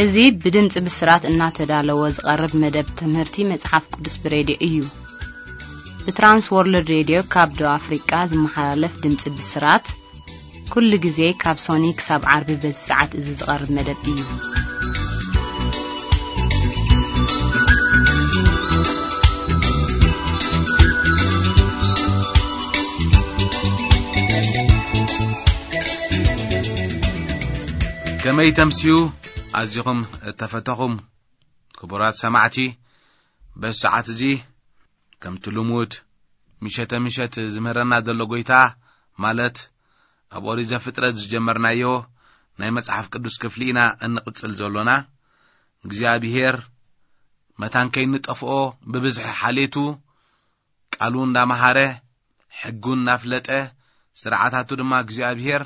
እዚ ብድምፂ ብስራት እናተዳለወ ዝቐርብ መደብ ትምህርቲ መጽሓፍ ቅዱስ ብሬድዮ እዩ። ብትራንስ ወርልድ ሬድዮ ካብ ደቡብ ኣፍሪቃ ዝመሓላለፍ ድምፂ ብስራት ኩሉ ግዜ ካብ ሶኒ ክሳብ ዓርቢ በዚ ሰዓት እዚ ዝቐርብ መደብ እዩ። ከመይ ተምስዩ ኣዚኹም እተፈተኹም ክቡራት ሰማዕቲ፣ በዚ ሰዓት እዚ ከምቲ ልሙድ ምሸተ ምሸት ዝምህረና ዘሎ ጎይታ፣ ማለት ኣብ ኦሪት ዘፍጥረት ዝጀመርናዮ ናይ መጽሓፍ ቅዱስ ክፍሊ ኢና እንቕጽል ዘሎና። እግዚኣብሔር መታን ከይንጠፍኦ ብብዝሒ ሓሌቱ ቃሉ እንዳመሃረ፣ ሕጉ እናፍለጠ፣ ስርዓታቱ ድማ እግዚኣብሔር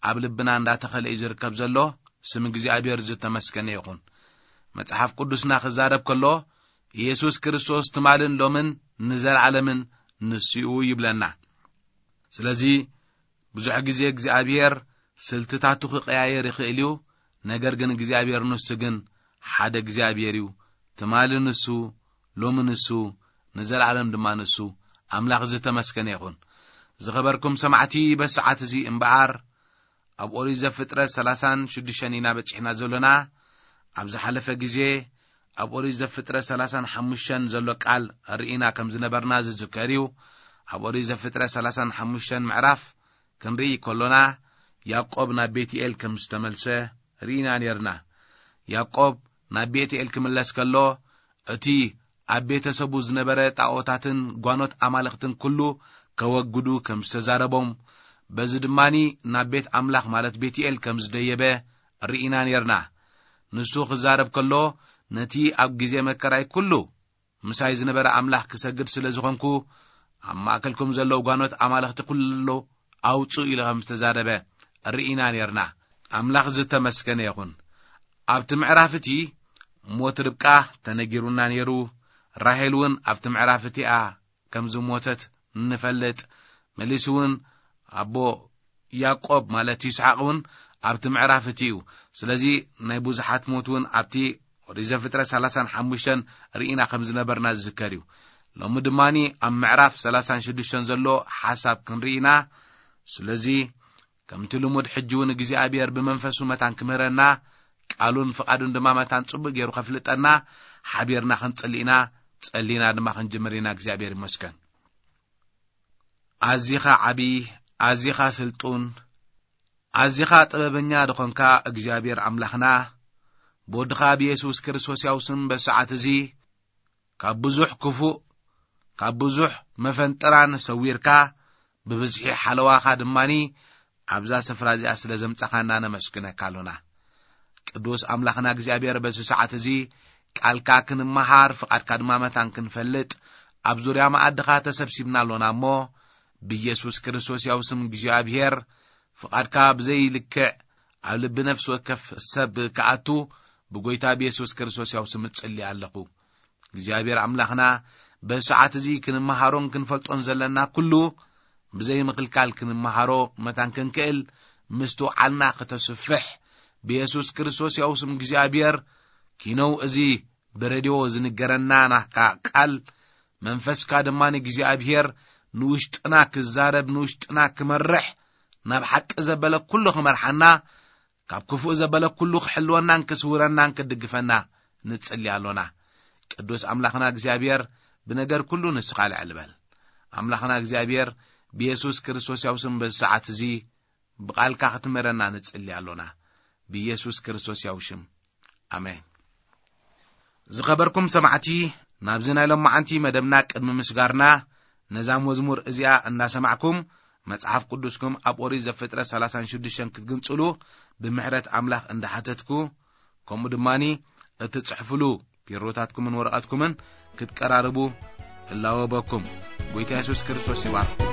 ኣብ ልብና እንዳተኸለ እዩ ዝርከብ ዘሎ። ስም እግዚኣብሔር ዝተመስገነ ይኹን። መጽሓፍ ቅዱስና ክዛረብ ከሎ፣ ኢየሱስ ክርስቶስ ትማልን ሎምን ንዘለዓለምን ንሱ እዩ ይብለና። ስለዚ ብዙሕ ግዜ እግዚኣብሔር ስልትታቱ ክቀያየር ይኽእል እዩ። ነገር ግን እግዚኣብሔር ንሱ ግን ሓደ እግዚኣብሔር እዩ። ትማሊ ንሱ፣ ሎሚ ንሱ፣ ንዘለዓለም ድማ ንሱ። ኣምላኽ ዝተመስገነ ይኹን። ዝኸበርኩም ሰማዕቲ፣ በዚ ሰዓት እዚ እምበኣር ኣብ ኦሪት ዘፍጥረት ሰላሳን ሽዱሽተን ኢና በጺሕና ዘሎና። ኣብ ዝሓለፈ ግዜ ኣብ ኦሪት ዘፍጥረት ሰላሳን ሓሙሽተን ዘሎ ቃል ርኢና ከም ዝነበርና ዝዝከር እዩ። ኣብ ኦሪት ዘፍጥረት ሰላሳን ሓሙሽተን ምዕራፍ ክንርኢ ከሎና፣ ያዕቆብ ናብ ቤትኤል ከም ዝተመልሰ ርኢና ኔርና። ያዕቆብ ናብ ቤትኤል ክምለስ ከሎ፣ እቲ ኣብ ቤተሰቡ ዝነበረ ጣኦታትን ጓኖት ኣማልኽትን ኩሉ ከወግዱ ከም ዝተዛረቦም፣ በዚ ድማኒ ናብ ቤት ኣምላኽ ማለት ቤትኤል ከም ዝደየበ ርኢና ኔርና። ንሱ ክዛረብ ከሎ፣ ነቲ ኣብ ግዜ መከራይ ኩሉ ምሳይ ዝነበረ ኣምላኽ ክሰግድ ስለ ዝኾንኩ፣ ኣብ ማእከልኩም ዘለዉ ጓኖት ኣማልኽቲ ኩሉ ኣውጽኡ ኢሉ ከም ዝተዛረበ ርኢና ኔርና። ኣምላኽ ዝተመስገነ ይኹን። ኣብቲ ምዕራፍ እቲ ሞት ርብቃ ተነጊሩና ነይሩ። ራሄል እውን ኣብቲ ምዕራፍ እቲኣ ከም ዝሞተት ንፈልጥ። መሊሱ እውን ኣቦ ያዕቆብ ማለት ይስሓቅ እውን ኣብቲ ምዕራፍ እቲ እዩ። ስለዚ ናይ ብዙሓት ሞት እውን ኣብቲ ኦሪት ዘፍጥረት ሰላሳን ሓሙሽተን ርኢና ከም ዝነበርና ዝዝከር እዩ። ሎሚ ድማኒ ኣብ ምዕራፍ ሰላሳን ሽዱሽተን ዘሎ ሓሳብ ክንርኢ ኢና። ስለዚ ከምቲ ልሙድ ሕጂ እውን እግዚኣብሔር ብመንፈሱ መታን ክምህረና፣ ቃሉን ፍቓዱን ድማ መታን ጽቡቕ ገይሩ ከፍልጠና ሓቢርና ክንጽሊ ኢና። ጸሊና ድማ ክንጅምር ኢና። እግዚኣብሔር ይመስገን። ኣዚኻ ዓቢ፣ ኣዚኻ ስልጡን፣ ኣዚኻ ጥበበኛ ዝኾንካ እግዚኣብሔር ኣምላኽና፣ ብወድኻ ብየሱስ ክርስቶስ ያው ስም በሰዓት እዚ ካብ ብዙሕ ክፉእ፣ ካብ ብዙሕ መፈንጥራን ሰዊርካ፣ ብብዝሒ ሓለዋኻ ድማኒ ኣብዛ ስፍራ እዚኣ ስለ ዘምጻኻና ነመስግነካ ኣሎና። ቅዱስ ኣምላኽና እግዚኣብሔር፣ በዚ ሰዓት እዚ ቃልካ ክንመሃር፣ ፍቓድካ ድማ መታን ክንፈልጥ፣ ኣብ ዙርያ መኣድኻ ተሰብሲብና ኣሎና እሞ፣ ብኢየሱስ ክርስቶስ ያው ስም እግዚኣብሔር፣ ፍቓድካ ብዘይልክዕ ኣብ ልቢ ነፍሲ ወከፍ ሰብ ክኣቱ፣ ብጎይታ ብየሱስ ክርስቶስ ያው ስም እጽሊ ኣለኹ። እግዚኣብሔር ኣምላኽና፣ በዚ ሰዓት እዚ ክንመሃሮን ክንፈልጦን ዘለና ኩሉ፣ ብዘይ ምክልካል ክንመሃሮ መታን ክንክእል፣ ምስትውዓልና ከተስፍሕ፣ ብየሱስ ክርስቶስ ያው ስም እግዚኣብሔር፣ ኪነው እዚ ብሬድዮ ዝንገረና ናካ ቃል፣ መንፈስካ ድማ ንእግዚኣብሔር ንውሽጥና ክዛረብ፣ ንውሽጥና ክመርሕ፣ ናብ ሓቂ ዘበለ ኩሉ ክመርሓና፣ ካብ ክፉእ ዘበለ ኩሉ ክሕልወናን ክስውረናን ክድግፈና ንጽሊ ኣሎና። ቅዱስ ኣምላኽና እግዚኣብሔር፣ ብነገር ኩሉ ንስኻ ልዕል በል። ኣምላኽና እግዚኣብሔር፣ ብየሱስ ክርስቶስ ያው ስም በዚ ሰዓት እዚ ብቓልካ ክትምህረና ንጽሊ ኣሎና። ብየሱስ ክርስቶስ ያው ሽም። ኣሜን። ዝኸበርኩም ሰማዕቲ፣ ናብዚ ናይ ሎማዓንቲ መደብና ቅድሚ ምስጋርና፣ ነዛ መዝሙር እዚኣ እናሰማዕኩም፣ መጽሓፍ ቅዱስኩም ኣብ ኦሪት ዘፍጥረት ሰላሳን ሽዱሽተን ክትግንጽሉ ብምሕረት ኣምላኽ እንዳሓተትኩ፣ ከምኡ ድማኒ እትጽሕፍሉ ቢሮታትኩምን ወረቐትኩምን ክትቀራርቡ እላወበኩም። ጎይታ የሱስ ክርስቶስ ይባርኩም።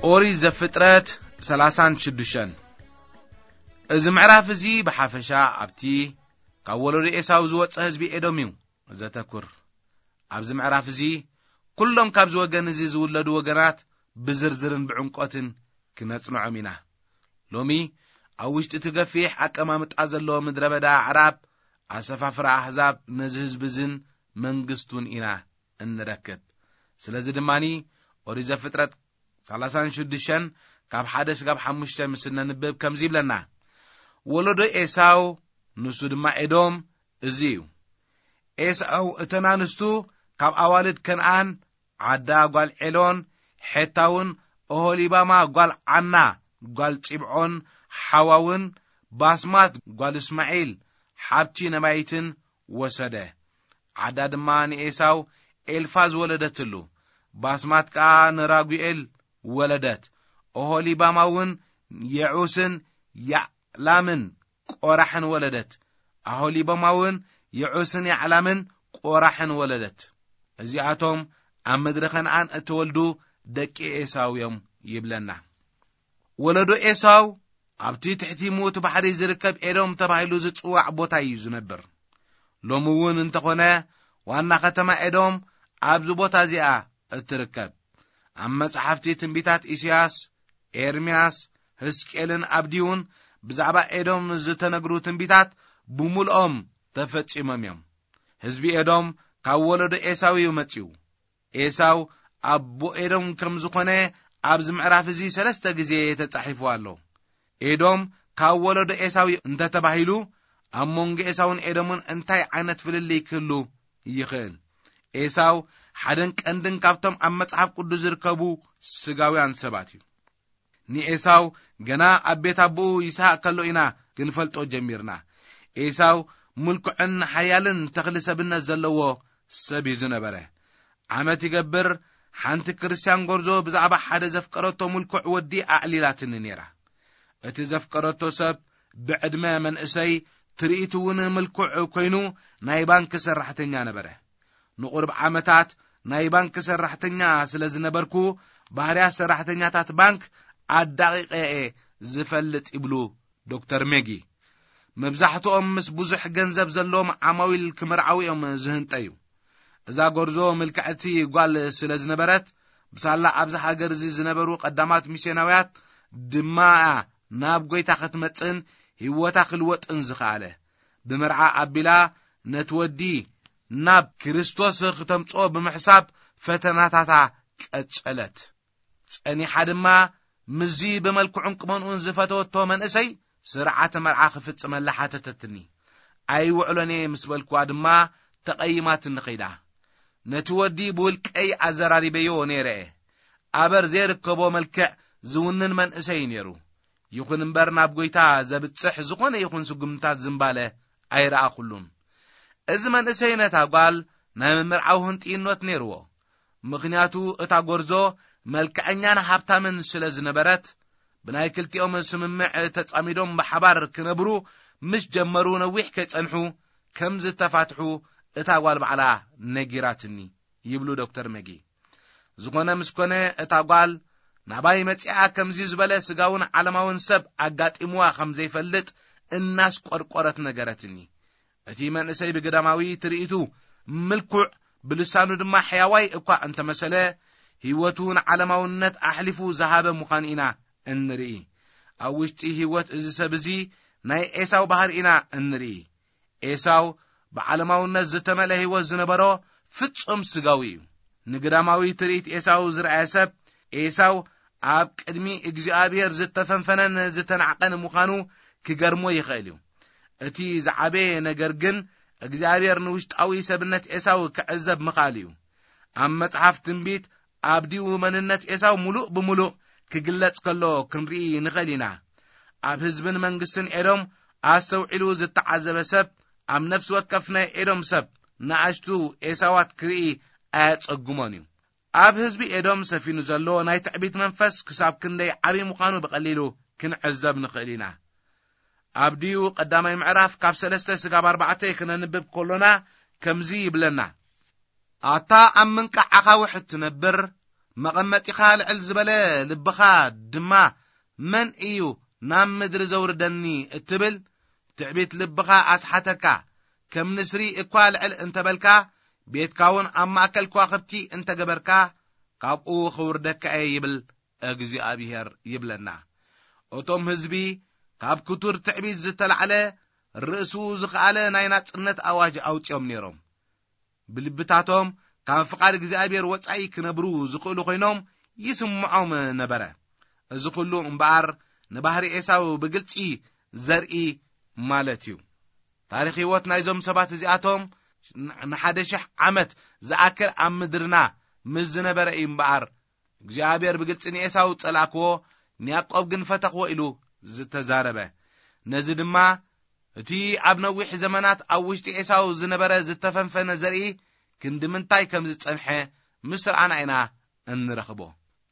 ኦሪት ዘፍጥረት ሰላሳን ሽዱሽተን። እዚ ምዕራፍ እዚ ብሓፈሻ ኣብቲ ካብ ወለዶ ኤሳው ዝወጸ ህዝቢ ኤዶም እዩ ዘተኩር። ኣብዚ ምዕራፍ እዚ ኩሎም ካብዚ ወገን እዚ ዝውለዱ ወገናት ብዝርዝርን ብዕምቆትን ክነጽንዖም ኢና። ሎሚ ኣብ ውሽጢ እቲ ገፊሕ ኣቀማምጣ ዘለዎ ምድረ በዳ ኣዕራብ፣ ኣሰፋፍራ ኣህዛብ ነዚ ህዝቢ እዝን መንግስቱን ኢና እንረክብ። ስለዚ ድማኒ ኦሪት ዘፍጥረት ሰላሳን ሽዱሽተን ካብ ሓደ ስጋብ ሓሙሽተ ምስ እነንብብ ከምዚ ይብለና። ወለዶ ኤሳው፣ ንሱ ድማ ኤዶም፣ እዚ እዩ። ኤሳው እተን ኣንስቱ ካብ ኣዋልድ ከነኣን፣ ዓዳ ጓል ዔሎን፣ ሔታውን፣ ኦሆሊባማ ጓል ዓና ጓል ጺብዖን፣ ሓዋውን፣ ባስማት ጓል እስማዒል፣ ሓብቲ ነባይትን ወሰደ። ዓዳ ድማ ንኤሳው ኤልፋዝ ወለደትሉ። ባስማት ከኣ ንራጉኤል ወለደት። ኦሆሊባማ እውን የዑስን ያዕላምን ቆራሕን ወለደት። ኣሆሊባማ እውን የዑስን ያዕላምን ቆራሕን ወለደት። እዚኣቶም ኣብ ምድሪ ከነኣን እተወልዱ ደቂ ኤሳው እዮም ይብለና። ወለዶ ኤሳው ኣብቲ ትሕቲ ምዉት ባሕሪ ዝርከብ ኤዶም ተባሂሉ ዝጽዋዕ ቦታ እዩ ዝነብር። ሎሚ እውን እንተኾነ ዋና ከተማ ኤዶም ኣብዚ ቦታ እዚኣ እትርከብ። ኣብ መጽሓፍቲ ትንቢታት ኢሳያስ፣ ኤርምያስ፣ ሕዝቅኤልን ኣብድዩን ብዛዕባ ኤዶም ዝተነግሩ ትንቢታት ብምልኦም ተፈጺሞም እዮም። ህዝቢ ኤዶም ካብ ወለዶ ኤሳው እዩ መጺኡ። ኤሳው ኣቦ ኤዶም ከም ዝኾነ ኣብዚ ምዕራፍ እዚ ሰለስተ ግዜ ተጻሒፉ ኣሎ። ኤዶም ካብ ወለዶ ኤሳው እንተተባሂሉ፣ ኣብ መንጎ ኤሳውን ኤዶምን እንታይ ዓይነት ፍልልይ ክህሉ ይኽእል? ኤሳው ሓደን ቀንድን ካብቶም ኣብ መጽሓፍ ቅዱስ ዝርከቡ ስጋውያን ሰባት እዩ። ንኤሳው ገና ኣብ ቤት ኣቦኡ ይስሐቅ ከሎ ኢና ክንፈልጦ ጀሚርና። ኤሳው ምልኩዕን ሓያልን ተኽሊ ሰብነት ዘለዎ ሰብ እዩ ዝነበረ። ዓመት ይገብር፣ ሓንቲ ክርስትያን ጎርዞ ብዛዕባ ሓደ ዘፍቀረቶ ምልኩዕ ወዲ ኣዕሊላትኒ ነይራ። እቲ ዘፍቀረቶ ሰብ ብዕድመ መንእሰይ፣ ትርኢቱ እውን ምልኩዕ ኮይኑ ናይ ባንክ ሰራሕተኛ ነበረ። ንቁርብ ዓመታት ናይ ባንክ ሰራሕተኛ ስለ ዝነበርኩ፣ ባህርያት ሰራሕተኛታት ባንክ ኣዳቂቀ እየ ዝፈልጥ ይብሉ ዶክተር ሜጊ። መብዛሕትኦም ምስ ብዙሕ ገንዘብ ዘለዎም ዓማዊል ክምርዓው እዮም ዝህንጠዩ። እዛ ጎርዞ ምልክዕቲ ጓል ስለ ዝነበረት፣ ብሳላ ኣብዚ ሃገር እዚ ዝነበሩ ቀዳማት ሚስዮናውያት ድማ እያ ናብ ጎይታ ክትመጽእን ህይወታ ክልወጥን ዝኸኣለ። ብመርዓ ኣቢላ ነቲ ወዲ ናብ ክርስቶስ ክተምጽኦ ብምሕሳብ ፈተናታታ ቀጸለት። ጸኒሓ ድማ ምስዚ ብመልክዑን ቁመንኡን ዝፈተወቶ መንእሰይ ስርዓተ መርዓ ክፍጽመላ ሓተተትኒ። ኣይውዕሎን እየ ምስ በልኩዋ ድማ ተቐይማትኒ ኸይዳ። ነቲ ወዲ ብውልቀይ ኣዘራሪበዮ ነይረ እየ። ኣበር ዘይርከቦ መልክዕ ዝውንን መንእሰይ ነይሩ። ይኹን እምበር ናብ ጎይታ ዘብጽሕ ዝኾነ ይኹን ስጉምታት ዝምባለ ኣይረኣኹሉን። እዚ መንእሰይ ነታ ጓል ናይ ምምርዓው ህንጥይኖት ነይርዎ። ምኽንያቱ እታ ጎርዞ መልክዐኛን ሃብታምን ስለ ዝነበረት፣ ብናይ ክልቲኦም ስምምዕ ተጻሚዶም ብሓባር ክነብሩ ምስ ጀመሩ ነዊሕ ከይጸንሑ ከም ዝተፋትሑ እታ ጓል ባዕላ ነጊራትኒ ይብሉ ዶክተር መጊ። ዝኾነ ምስ ኮነ እታ ጓል ናባይ መጺኣ ከምዚ ዝበለ ስጋውን ዓለማውን ሰብ ኣጋጢምዋ ከም ዘይፈልጥ እናስቆርቆረት ነገረትኒ። እቲ መንእሰይ ብግዳማዊ ትርኢቱ ምልኩዕ፣ ብልሳኑ ድማ ሕያዋይ እኳ እንተመሰለ፣ ህይወቱ ንዓለማውነት ኣሕሊፉ ዝሃበ ምዃኑ ኢና እንርኢ። ኣብ ውሽጢ ህይወት እዚ ሰብ እዚ ናይ ኤሳው ባህሪ ኢና እንርኢ። ኤሳው ብዓለማውነት ዝተመልአ ህይወት ዝነበሮ ፍጹም ስጋዊ እዩ። ንግዳማዊ ትርኢት ኤሳው ዝረኣየ ሰብ፣ ኤሳው ኣብ ቅድሚ እግዚኣብሔር ዝተፈንፈነን ዝተናዕቀን ምዃኑ ክገርሞ ይኽእል እዩ። እቲ ዝዓበየ ነገር ግን እግዚኣብሔር ንውሽጣዊ ሰብነት ኤሳው ክዕዘብ ምኽኣል እዩ። ኣብ መጽሓፍ ትንቢት ኣብዲኡ መንነት ኤሳው ምሉእ ብምሉእ ክግለጽ ከሎ ክንርኢ ንኽእል ኢና። ኣብ ህዝብን መንግስትን ኤዶም ኣስተውዒሉ ዝተዓዘበ ሰብ፣ ኣብ ነፍሲ ወከፍ ናይ ኤዶም ሰብ ንኣሽቱ ኤሳዋት ክርኢ ኣየጸግሞን እዩ። ኣብ ህዝቢ ኤዶም ሰፊኑ ዘሎ ናይ ትዕቢት መንፈስ ክሳብ ክንደይ ዓቢ ምዃኑ ብቐሊሉ ክንዕዘብ ንኽእል ኢና። ኣብዲኡ ቀዳማይ ምዕራፍ ካብ ሰለስተ ስጋብ ኣርባዕተ ክነንብብ ከሎና ከምዚ ይብለና። ኣታ ኣብ ምንቃዕ ኣኻውሕ እትነብር፣ መቐመጢኻ ልዕል ዝበለ ልብኻ ድማ፣ "መን እዩ ናብ ምድሪ ዘውርደኒ?" እትብል ትዕቢት ልብኻ ኣስሓተካ። ከም ንስሪ እኳ ልዕል እንተበልካ፣ ቤትካ እውን ኣብ ማእከል ከዋኽብቲ እንተገበርካ፣ ካብኡ ኽውርደካ እየ ይብል እግዚኣብሄር ይብለና። እቶም ህዝቢ ካብ ክቱር ትዕቢት ዝተላዕለ ርእሱ ዝኸኣለ ናይ ናጽነት ኣዋጅ ኣውጺኦም ነይሮም። ብልብታቶም ካብ ፍቓድ እግዚኣብሔር ወጻኢ ክነብሩ ዝኽእሉ ኮይኖም ይስምዖም ነበረ። እዚ ኩሉ እምበኣር ንባህሪ ኤሳው ብግልጺ ዘርኢ ማለት እዩ። ታሪኽ ህይወት ናይዞም ሰባት እዚኣቶም ንሓደ ሽሕ ዓመት ዝኣክል ኣብ ምድርና ምስ ዝነበረ እዩ እምበኣር፣ እግዚኣብሔር ብግልጺ ንኤሳው ጸላእክዎ፣ ንያዕቆብ ግን ፈተኽዎ ኢሉ ዝተዛረበ። ነዚ ድማ እቲ ኣብ ነዊሕ ዘመናት ኣብ ውሽጢ ኤሳው ዝነበረ ዝተፈንፈነ ዘርኢ ክንዲ ምንታይ ከም ዝጸንሐ ምስ ረኣና ኢና እንረኽቦ።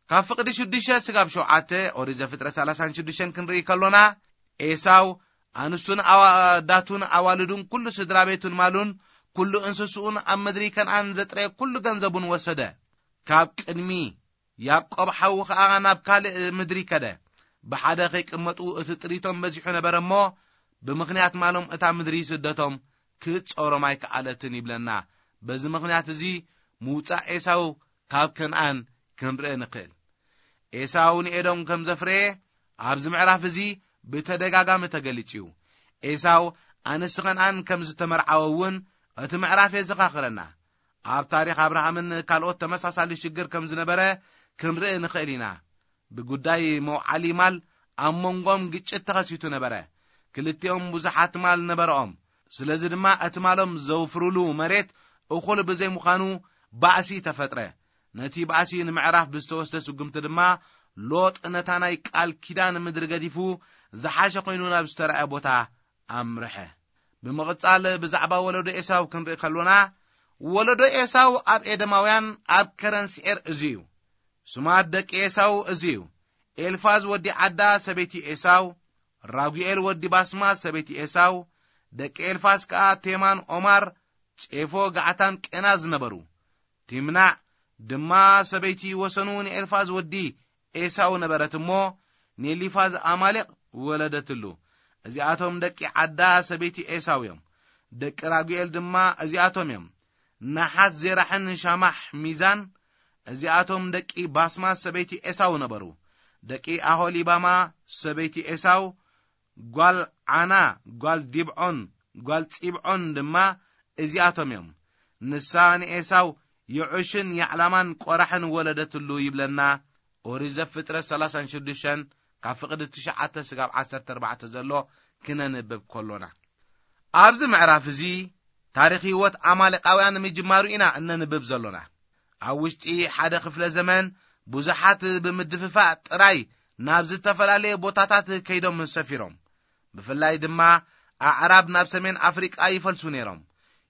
ካብ ፍቕዲ ሽዱሽተ ስጋብ ሸውዓተ ኦሪት ዘፍጥረት ሰላሳን ሽዱሽተን ክንርኢ ከሎና፣ ኤሳው ኣንስቱን ኣዋዳቱን ኣዋልዱን ኩሉ ስድራ ቤቱን ማሉን ኩሉ እንስስኡን ኣብ ምድሪ ከነኣን ዘጥረየ ኩሉ ገንዘቡን ወሰደ። ካብ ቅድሚ ያዕቆብ ሓዉ ኸኣ ናብ ካልእ ምድሪ ከደ። ብሓደ ኸይቅመጡ እቲ ጥሪቶም በዚሑ ነበረ እሞ፣ ብምኽንያት ማሎም እታ ምድሪ ስደቶም ክትጾሮም ኣይከኣለትን ይብለና። በዚ ምኽንያት እዚ ምውጻእ ኤሳው ካብ ከነኣን ክንርኢ ንኽእል። ኤሳው ንኤዶም ከም ዘፍረየ ኣብዚ ምዕራፍ እዚ ብተደጋጋሚ ተገሊጹ እዩ። ኤሳው ኣንስቲ ከነኣን ከም ዝተመርዓወ እውን እቲ ምዕራፍ የዘኻኽረና። ኣብ ታሪኽ ኣብርሃምን ካልኦት ተመሳሳሊ ሽግር ከም ዝነበረ ክንርኢ ንኽእል ኢና። ብጉዳይ መውዓሊ ማል ኣብ መንጎም ግጭት ተኸሲቱ ነበረ። ክልቲኦም ብዙሓት ማል ነበረኦም። ስለዚ ድማ እቲ ማሎም ዘውፍሩሉ መሬት እኹል ብዘይምዃኑ ባእሲ ተፈጥረ። ነቲ ባእሲ ንምዕራፍ ብዝተወስደ ስጉምቲ ድማ ሎጥ ነታ ናይ ቃል ኪዳን ምድሪ ገዲፉ ዝሓሸ ኮይኑ ናብ ዝተረኣየ ቦታ ኣምርሐ። ብምቕጻል ብዛዕባ ወለዶ ኤሳው ክንርኢ ከሎና፣ ወለዶ ኤሳው ኣብ ኤደማውያን ኣብ ከረን ስዔር እዚ እዩ። ስማት ደቂ ኤሳው እዚ እዩ። ኤልፋዝ ወዲ ዓዳ ሰበይቲ ኤሳው፣ ራጉኤል ወዲ ባስማት ሰበይቲ ኤሳው፣ ደቂ ኤልፋዝ ከኣ ቴማን ኦማር፣ ጼፎ፣ ጋዕታም፣ ቄናዝ ነበሩ። ቲምናዕ ድማ ሰበይቲ ወሰኑ ንኤልፋዝ ወዲ ኤሳው ነበረት እሞ፣ ንኤሊፋዝ ኣማሌቕ ወለደትሉ። እዚኣቶም ደቂ ዓዳ ሰበይቲ ኤሳው እዮም። ደቂ ራጉኤል ድማ እዚኣቶም እዮም። ናሓት፣ ዜራሕን ሻማሕ ሚዛን፣ እዚኣቶም ደቂ ባስማት ሰበይቲ ኤሳው ነበሩ። ደቂ ኣሆሊባማ ሰበይቲ ኤሳው፣ ጓል ዓና፣ ጓል ዲብዖን፣ ጓል ጺብዖን ድማ እዚኣቶም እዮም። ንሳ ንኤሳው የዑሽን ያዕላማን ቆራሕን ወለደትሉ ይብለና። ኦሪት ዘፍጥረት ሰላሳን ሽዱሽተን ካብ ፍቕዲ ትሽዓተ ስጋብ ዓሰርተ ኣርባዕተ ዘሎ ክነንብብ ከሎና፣ ኣብዚ ምዕራፍ እዚ ታሪኽ ህይወት ኣማሌቃውያን ምጅማሩ ኢና እነንብብ ዘሎና። ኣብ ውሽጢ ሓደ ክፍለ ዘመን ብዙሓት ብምድፍፋእ ጥራይ ናብ ዝተፈላለየ ቦታታት ከይዶም ሰፊሮም። ብፍላይ ድማ ኣዕራብ ናብ ሰሜን ኣፍሪቃ ይፈልሱ ነይሮም።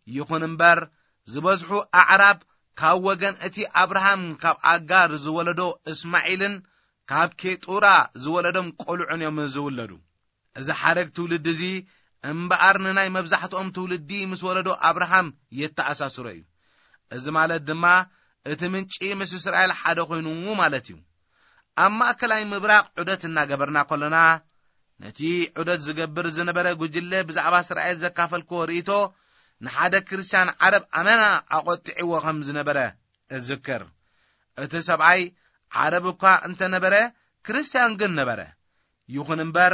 ይኹን እምበር፣ ዝበዝሑ ኣዕራብ ካብ ወገን እቲ ኣብርሃም ካብ ኣጋር ዝወለዶ እስማዒልን ካብ ኬጡራ ዝወለዶም ቆልዑን እዮም ዝውለዱ። እዚ ሓረግ ትውልዲ እዚ እምበኣር ንናይ መብዛሕትኦም ትውልዲ ምስ ወለዶ ኣብርሃም የተኣሳስሮ እዩ። እዚ ማለት ድማ እቲ ምንጪ ምስ እስራኤል ሓደ ኮይኑ ማለት እዩ። ኣብ ማእከላይ ምብራቕ ዑደት እናገበርና ከሎና፣ ነቲ ዑደት ዝገብር ዝነበረ ጉጅለ ብዛዕባ እስራኤል ዘካፈልክዎ ርእይቶ ንሓደ ክርስትያን ዓረብ ኣመና ኣቖጢዕዎ ከም ዝነበረ እዝክር። እቲ ሰብኣይ ዓረብ እኳ እንተነበረ፣ ክርስትያን ግን ነበረ። ይኹን እምበር፣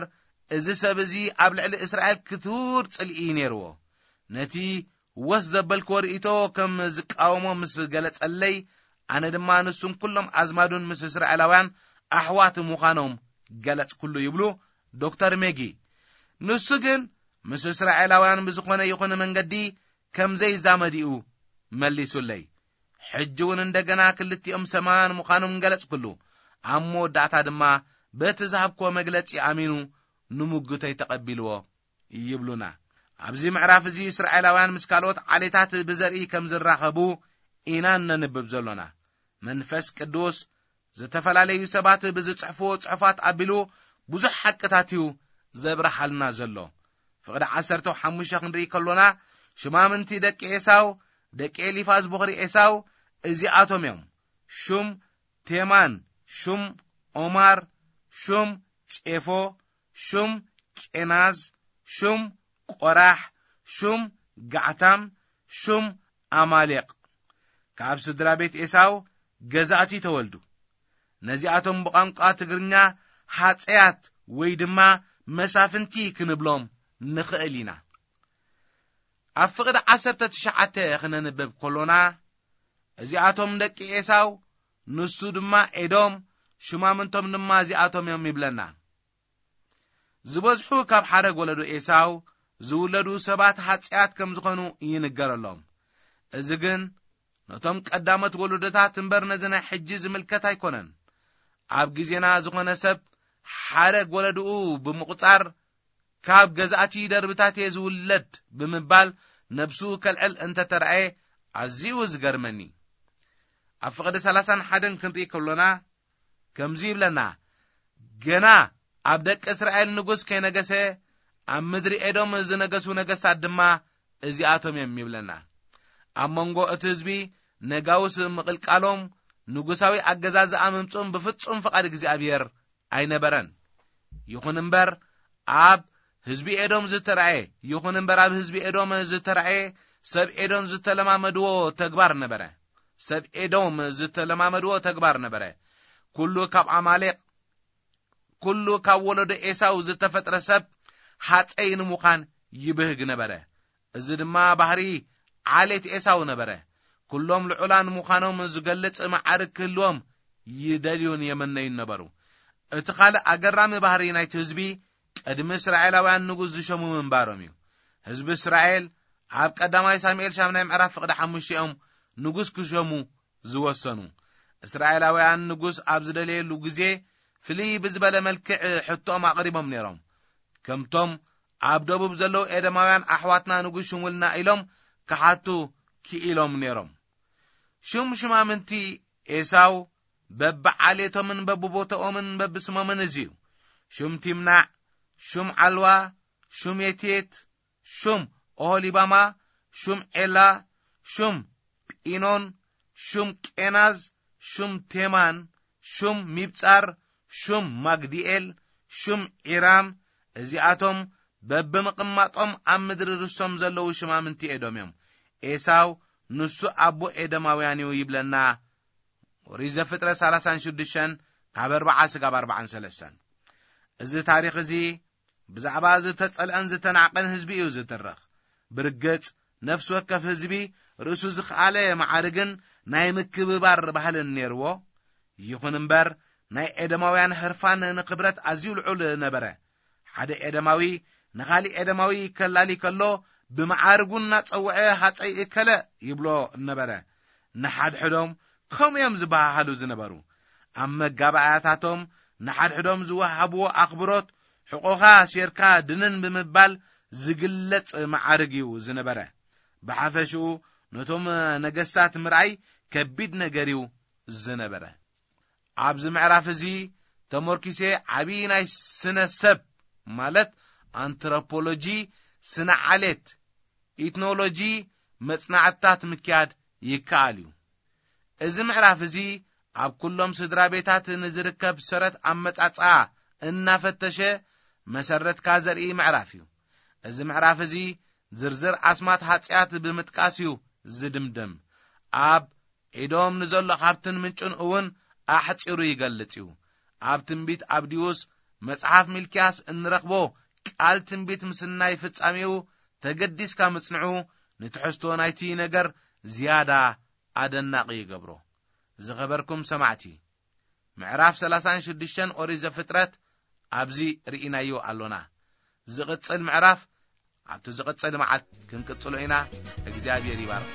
እዚ ሰብ እዚ ኣብ ልዕሊ እስራኤል ክቱር ጽልኢ እዩ ነይርዎ። ነቲ ወስ ዘበልክዎ ርእይቶ ከም ዝቃወሞ ምስ ገለጸለይ፣ ኣነ ድማ ንሱን ኩሎም ኣዝማዱን ምስ እስራኤላውያን ኣሕዋት ምዃኖም ገለጽኩሉ ይብሉ ዶክተር ሜጊ። ንሱ ግን ምስ እስራኤላውያን ብዝኾነ ይኹን መንገዲ ከም ዘይዛመድ እዩ መሊሱለይ። ሕጂ እውን እንደገና ክልቲኦም ሰማውያን ምዃኖም ገለጽኩሉ። ኣብ መወዳእታ ድማ በቲ ዝሃብክዎ መግለጺ ኣሚኑ ንምጉተይ ተቐቢልዎ ይብሉና። ኣብዚ ምዕራፍ እዚ እስራኤላውያን ምስ ካልኦት ዓሌታት ብዘርኢ ከም ዝራኸቡ ኢና እነንብብ ዘሎና። መንፈስ ቅዱስ ዝተፈላለዩ ሰባት ብዝጽሕፍዎ ጽሑፋት ኣቢሉ ብዙሕ ሓቅታት እዩ ዘብርሃልና ዘሎ። ፍቕዲ ዓሰርተ ሓሙሽተ ክንርኢ ከሎና፣ ሽማምንቲ ደቂ ኤሳው፣ ደቂ ኤሊፋዝ ቦኽሪ ኤሳው እዚኣቶም እዮም። ሹም ቴማን፣ ሹም ኦማር፣ ሹም ጼፎ፣ ሹም ቄናዝ፣ ሹም ቆራሕ፣ ሹም ጋዕታም፣ ሹም ኣማሌቕ። ካብ ስድራ ቤት ኤሳው ገዛእቲ ተወልዱ። ነዚኣቶም ብቋንቋ ትግርኛ ሃጸያት ወይ ድማ መሳፍንቲ ክንብሎም ንኽእል ኢና። ኣብ ፍቕዲ ዓሰርተ ትሽዓተ ክነንብብ ከሎና፣ እዚኣቶም ደቂ ኤሳው፣ ንሱ ድማ ኤዶም፣ ሽማምንቶም ድማ እዚኣቶም እዮም ይብለና። ዝበዝሑ ካብ ሓረግ ወለዶ ኤሳው ዝውለዱ ሰባት ሃጸያት ከም ዝኾኑ ይንገረሎም። እዚ ግን ነቶም ቀዳሞት ወለዶታት እምበር ነዚ ናይ ሕጂ ዝምልከት ኣይኮነን። ኣብ ግዜና ዝኾነ ሰብ ሓረግ ወለድኡ ብምቑጻር፣ ካብ ገዛእቲ ደርብታት'የ ዝውለድ ብምባል ነብሱ ከልዕል እንተተራእየ ኣዝዩ ዝገርመኒ። ኣብ ፍቕዲ ሰላሳን ሓደን ክንርኢ ከሎና ከምዚ ይብለና፣ ገና ኣብ ደቂ እስራኤል ንጉስ ከይነገሰ ኣብ ምድሪ ኤዶም ዝነገሱ ነገስታት ድማ እዚኣቶም እዮም ይብለና። ኣብ መንጎ እቲ ህዝቢ ነጋውስ ምቕልቃሎም ንጉሳዊ ኣገዛዝኣ ምምጽኦም ብፍጹም ፍቓድ እግዚኣብሔር ኣይነበረን። ይኹን እምበር ኣብ ህዝቢ ኤዶም ዝተራእየ፣ ይኹን እምበር ኣብ ህዝቢ ኤዶም ዝተራእየ ሰብ ኤዶም ዝተለማመድዎ ተግባር ነበረ። ሰብ ኤዶም ዝተለማመድዎ ተግባር ነበረ። ኩሉ ካብ ኣማሌቕ፣ ኩሉ ካብ ወለዶ ኤሳው ዝተፈጥረ ሰብ ሃጸይ ንምዃን ይብህግ ነበረ። እዚ ድማ ባህሪ ዓሌት ኤሳው ነበረ። ኩሎም ልዑላን ምዃኖም ዝገልጽ መዓርግ ክህልዎም ይደልዩን የመነዩን ነበሩ። እቲ ካልእ ኣገራሚ ባህሪ ናይቲ ህዝቢ ቅድሚ እስራኤላውያን ንጉስ ዝሸሙ ምንባሮም እዩ። ህዝቢ እስራኤል ኣብ ቀዳማይ ሳሙኤል ሻምናይ ምዕራፍ ፍቕዲ ሓሙሽተ እዮም ንጉስ ክሸሙ ዝወሰኑ። እስራኤላውያን ንጉስ ኣብ ዝደለየሉ ግዜ ፍልይ ብዝበለ መልክዕ ሕቶኦም ኣቕሪቦም ነይሮም። ከምቶም ኣብ ደቡብ ዘለዉ ኤደማውያን ኣሕዋትና ንጉስ ሽሙልና ኢሎም ክሓቱ ክኢሎም ነይሮም። ሹም ሽማምንቲ ኤሳው በብዓሌቶምን በብቦታኦምን በብስሞምን እዚ እዩ። ሹም ቲምናዕ፣ ሹም ዓልዋ፣ ሹም የቴት፣ ሹም ኦሆሊባማ፣ ሹም ዔላ፣ ሹም ጲኖን፣ ሹም ቄናዝ፣ ሹም ቴማን፣ ሹም ሚብጻር፣ ሹም ማግዲኤል፣ ሹም ዒራም፣ እዚኣቶም በብምቕማጦም ኣብ ምድሪ ርስቶም ዘለዉ ሽማምንቲ ኤዶም እዮም። ኤሳው ንሱ ኣቦ ኤዶማውያን እዩ ይብለና። ኦሪት ዘፍጥረት ሰላሳን ሽዱሽተን ካብ ኣርብዓ ስጋብ ኣርብዓን ሰለስተን። እዚ ታሪኽ እዚ ብዛዕባ ዝተጸልአን ዝተናዕቀን ህዝቢ እዩ ዝትርኽ። ብርግጽ፣ ነፍሲ ወከፍ ህዝቢ ርእሱ ዝኸኣለ መዓርግን ናይ ምክብባር ባህልን ነይርዎ። ይኹን እምበር፣ ናይ ኤደማውያን ህርፋን ንክብረት ኣዝዩ ልዑል ነበረ። ሓደ ኤደማዊ ንኻሊእ ኤደማዊ ከላሊ ከሎ፣ ብመዓርጉ እናጸውዐ ሃጸይ እከለ ይብሎ ነበረ። ንሓድሕዶም ከምኡ እዮም ዝበሃሃሉ ዝነበሩ። ኣብ መጋባእያታቶም ንሓድሕዶም ዝወሃብዎ ኣኽብሮት፣ ሕቖኻ ሴርካ ድንን ብምባል ዝግለጽ መዓርግ እዩ ዝነበረ። ብሓፈሽኡ ነቶም ነገስታት ምርኣይ ከቢድ ነገር እዩ ዝነበረ። ኣብዚ ምዕራፍ እዚ ተመርኪሰ ዓቢ ናይ ስነ ሰብ፣ ማለት ኣንትሮፖሎጂ፣ ስነ ዓሌት፣ ኢትኖሎጂ መጽናዕትታት ምክያድ ይከኣል እዩ። እዚ ምዕራፍ እዚ ኣብ ኩሎም ስድራ ቤታት ንዝርከብ ሰረት ኣመጻጽኣ እናፈተሸ መሰረትካ ዘርኢ ምዕራፍ እዩ። እዚ ምዕራፍ እዚ ዝርዝር ኣስማት ሃጽያት ብምጥቃስ እዩ ዝድምደም። ኣብ ኤዶም ንዘሎ ሃብትን ምንጩን እውን ኣሕጺሩ ይገልጽ እዩ። ኣብ ትንቢት ኣብዲዩስ መጽሓፍ ሚልክያስ እንረኽቦ ቃል ትንቢት ምስናይ ፍጻሜኡ ተገዲስካ ምጽንዑ ንትሕዝቶ ናይቲ ነገር ዝያዳ ኣደናቒ ይገብሮ። ዝኸበርኩም ሰማዕቲ፣ ምዕራፍ ሰላሳን ሽዱሽተን ኦሪት ዘፍጥረት ኣብዚ ርኢናዮ ኣሎና። ዝቕጽል ምዕራፍ ኣብቲ ዝቕጽል መዓልቲ ክንቅጽሎ ኢና። እግዚኣብሔር ይባርክ።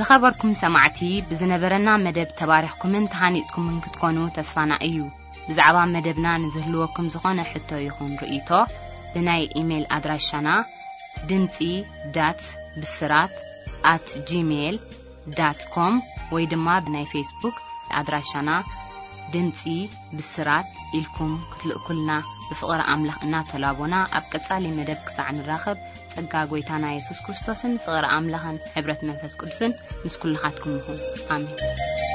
ዝኸበርኩም ሰማዕቲ፣ ብዝነበረና መደብ ተባሪኽኩምን ተሃኒጽኩምን ክትኮኑ ተስፋና እዩ። ብዛዕባ መደብና ንዝህልወኩም ዝኾነ ሕቶ ይኹን ርእይቶ፣ ብናይ ኢሜይል ኣድራሻና ድምጺ ዳት ብስራት ኣት ጂሜይል ዳት ኮም ወይ ድማ ብናይ ፌስቡክ ኣድራሻና ድምጺ ብስራት ኢልኩም ክትልእኩልና ብፍቕሪ ኣምላኽ እናተላቦና፣ ኣብ ቀጻሊ መደብ ክሳዕ ንራኸብ፣ ጸጋ ጐይታና የሱስ ክርስቶስን ፍቕሪ ኣምላኽን ሕብረት መንፈስ ቅዱስን ምስ ኩልኻትኩም ይኹን። ኣሜን።